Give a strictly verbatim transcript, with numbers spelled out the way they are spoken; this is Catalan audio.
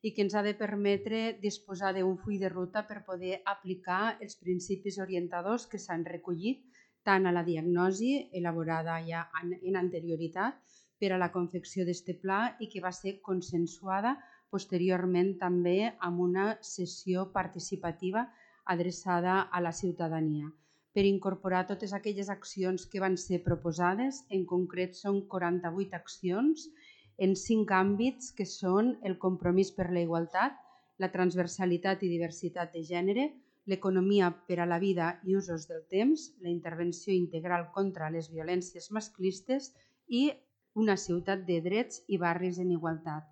i que ens ha de permetre disposar d'un full de ruta per poder aplicar els principis orientadors que s'han recollit tant a la diagnosi elaborada ja en anterioritat per a la confecció d'aquest pla i que va ser consensuada posteriorment també amb una sessió participativa adreçada a la ciutadania. Per incorporar totes aquelles accions que van ser proposades, en concret són quaranta-vuit accions en cinc àmbits que són el compromís per la igualtat, la transversalitat i diversitat de gènere, l'economia per a la vida i usos del temps, la intervenció integral contra les violències masclistes i una ciutat de drets i barris en igualtat.